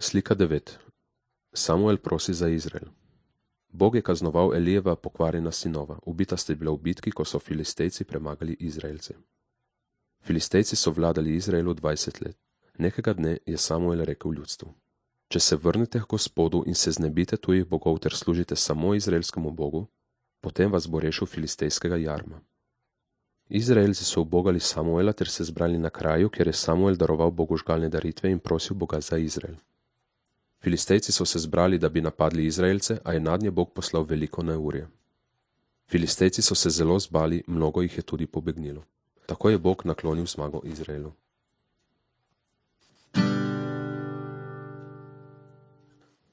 Slika 9. Samuel prosi za Izrael. Bog je kaznoval Elijeva pokvarjena sinova. Ubita sta bila v bitki, ko so Filistejci premagali Izraelce. Filistejci so vladali Izraelu 20 let. Nekega dne je Samuel rekel ljudstvu: Če se vrnete k Gospodu in se znebite tujih bogov ter služite samo izraelskemu Bogu, potem vas bo rešil filistejskega jarma. Izraelci so ubogali Samuela ter se zbrali na kraju, kjer je Samuel daroval Bogu žgalne daritve in prosil Boga za Izrael. Filistejci so se zbrali, da bi napadli Izraelce, a je nadnje Bog poslal veliko neurje. Filistejci so se zelo zbali, mnogo jih je tudi pobegnilo. Tako je Bog naklonil zmago Izraelu.